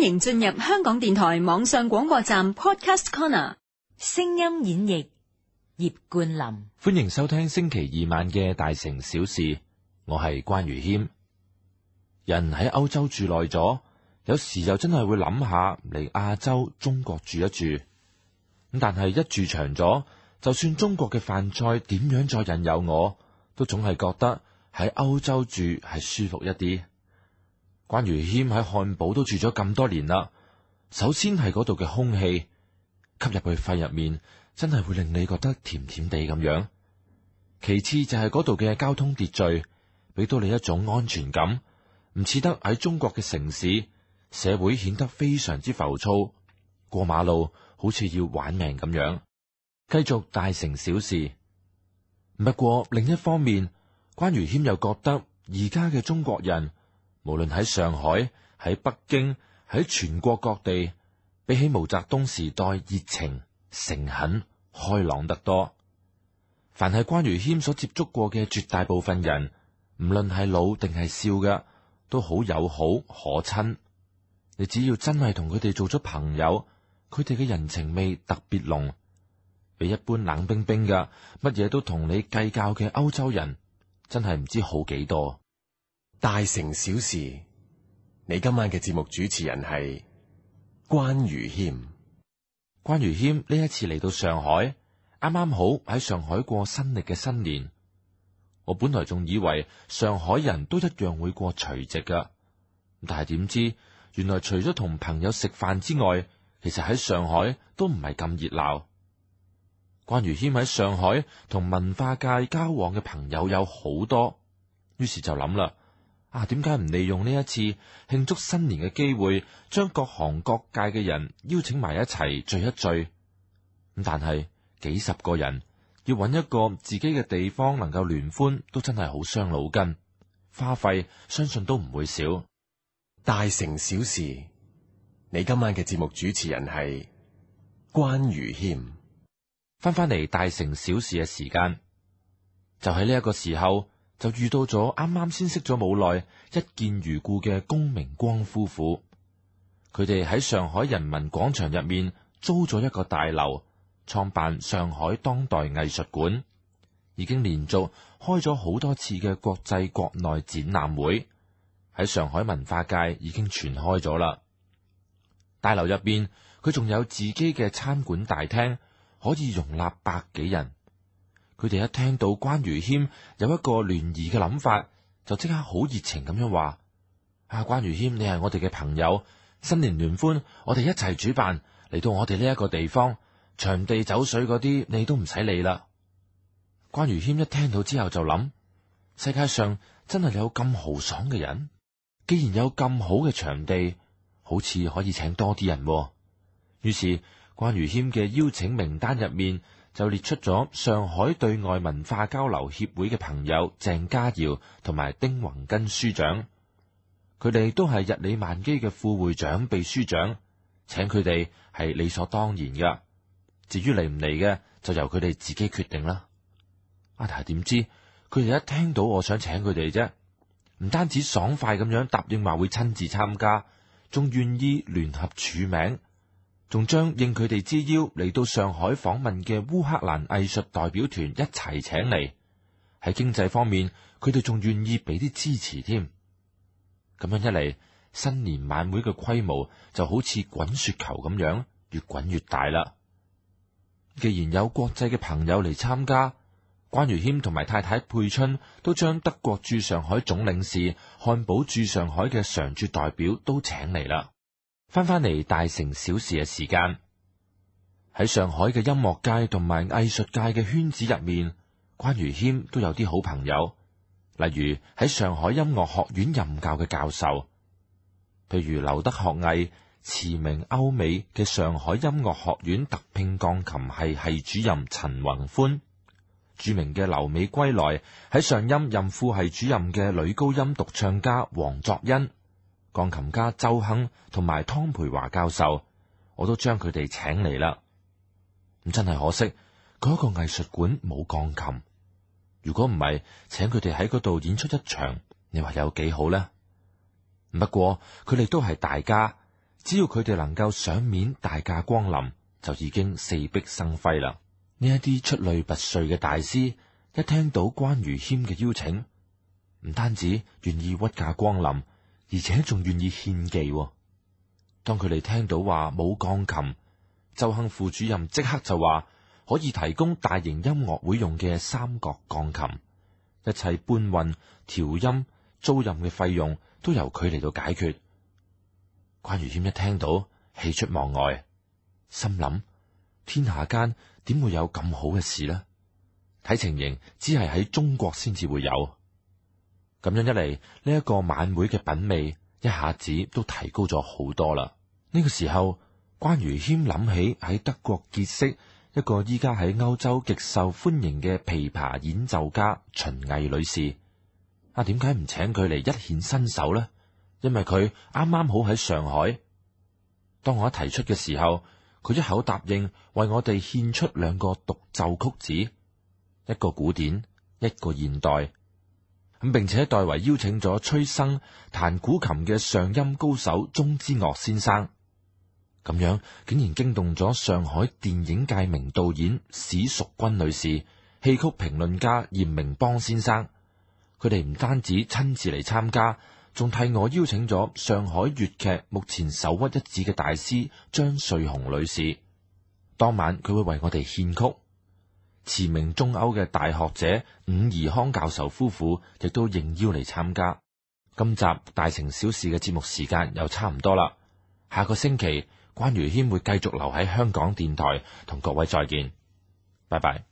歡迎進入香港電台網上廣播站 Podcast Corner， 聲音演繹葉冠霖。歡迎收聽星期二晚嘅大城小事，我係關如謙。人喺歐洲住耐咗，有時又真係會諗下嚟亞洲中國住一住。咁但係一住長咗，就算中國嘅飯菜點樣再引誘我，都總係覺得喺歐洲住係舒服一啲。關如謙喺漢堡都住咗咁多年啦，首先係嗰度嘅空氣吸入去肺入面，真係會令你覺得甜甜地咁樣。其次就係嗰度嘅交通秩序，俾到你一種安全感，唔似得喺中國嘅城市，社會顯得非常之浮躁，過馬路好似要玩命咁樣。繼續大城小事。不過另一方面，關如謙又覺得而家嘅中國人，無論喺上海、喺北京、喺全國各地，比起毛澤東時代熱情、誠懇、開朗得多。凡係關如謙所接觸過嘅絕大部分人，唔論係老定係少嘅，都好友好可親。你只要真係同佢哋做咗朋友，佢哋嘅人情味特別濃，比一般冷冰冰嘅乜嘢都同你計較嘅歐洲人，真係唔知好幾多。大城小事，你今晚嘅節目主持人係關如謙。關如謙呢一次嚟到上海，啱啱好喺上海過新曆嘅新年。我本來仲以為上海人都一樣會過除夕㗎，但係點知原來除咗同朋友食飯之外，其實喺上海都唔係咁熱鬧。關如謙喺上海同文化界交往嘅朋友有好多，於是就諗啦。點解唔利用呢一次慶祝新年嘅機會，將各行各界嘅人邀請埋一齊聚一聚？咁但係幾十個人要揾一個自己嘅地方能夠聯歡，都真係好傷腦筋，花費相信都唔會少。大城小事，你今晚嘅節目主持人係關如謙。翻嚟大城小事嘅時間，就喺呢一個時候，就遇到咗啱啱先識咗冇耐，一見如故嘅龔明光夫婦。佢哋喺上海人民廣場入面租咗一個大樓，創辦上海當代藝術館，已經連續開咗好多次嘅國際國內展覽會，喺上海文化界已經傳開咗啦。大樓入邊佢仲有自己嘅餐館大廳，可以容納百幾人。佢哋一聽到關如謙有一個聯誼嘅諗法，就即刻好熱情咁樣話：關如謙，你係我哋嘅朋友，新年聯歡我哋一齊主辦，嚟到我哋呢一個地方，場地酒水嗰啲你都唔使理啦。關如謙一聽到之後就諗：世界上真係有咁豪爽嘅人，既然有咁好嘅場地，好似可以請多啲人喎。於是關如謙嘅邀請名單入面就列出咗上海對外文化交流協會嘅朋友鄭家堯同埋丁宏根書長，佢哋都係日理萬機嘅副會長、秘書長，請佢哋係理所當然㗎。至於嚟唔嚟嘅，就由佢哋自己決定啦。但係點知佢哋一聽到我想請佢哋啫，唔單止爽快咁樣答應話會親自參加，仲願意聯合署名。仲將應佢哋之邀嚟到上海訪問嘅烏克蘭藝術代表團一齊請嚟。喺經濟方面，佢哋仲願意俾啲支持添。咁樣一嚟，新年晚會嘅規模就好似滾雪球咁樣，越滾越大啦。既然有國際嘅朋友嚟參加，關如謙同埋太太佩春都將德國駐上海總領事、漢堡駐上海嘅常駐代表都請嚟啦。翻嚟大城小事嘅時間，喺上海嘅音樂界同埋藝術界嘅圈子入面，關如謙都有啲好朋友，例如喺上海音樂學院任教嘅教授，譬如留德學藝、馳名歐美嘅上海音樂學院特聘鋼琴系主任陳宏歡，著名嘅留美歸來喺上音任副系主任嘅女高音獨唱家黃作欣，鋼琴家周亨同埋湯培華教授，我都將佢哋請嚟啦。咁真係可惜，嗰個藝術館冇鋼琴。如果唔係，請佢哋喺嗰度演出一場，你話有幾好呢？不過佢哋都係大家，只要佢哋能夠賞面大駕光臨，就已經四壁生輝啦。呢一啲出類拔萃嘅大師，一聽到關愚謙嘅邀請，唔單止願意屈駕光臨，而且仲願意獻技。當佢哋聽到話冇鋼琴，周亨副主任即刻就話可以提供大型音樂會用嘅三角鋼琴，一切搬運、調音、租賃嘅費用都由佢嚟到解決。關愚謙一聽到，喜出望外，心諗天下間點會有咁好嘅事呢？睇情形，只係喺中國先至會有。咁樣一嚟，呢一個晚會嘅品味一下子都提高咗好多啦。呢個時候，關愚謙諗起喺德國結識一個依家喺歐洲極受歡迎嘅琵琶演奏家秦毅女士。點解唔請佢嚟一顯身手呢？因為佢啱啱好喺上海。當我一提出嘅時候，佢一口答應為我哋獻出2個獨奏曲子，一個古典，一個現代。並且代為邀請咗崔生彈古琴嘅上音高手鐘之岳先生。咁樣竟然驚動咗上海電影界名導演史淑君女士、戲曲評論家嚴明邦先生。佢哋唔單止親自嚟參加，仲替我邀請咗上海粵劇目前首屈一指嘅大師張瑞紅女士。當晚佢會為我哋獻曲。馳名中歐嘅大學者伍宜康教授夫婦亦都應邀嚟參加。今集大城小事嘅節目時間又差唔多啦。下個星期關愚謙會繼續留喺香港電台同各位再見，拜拜。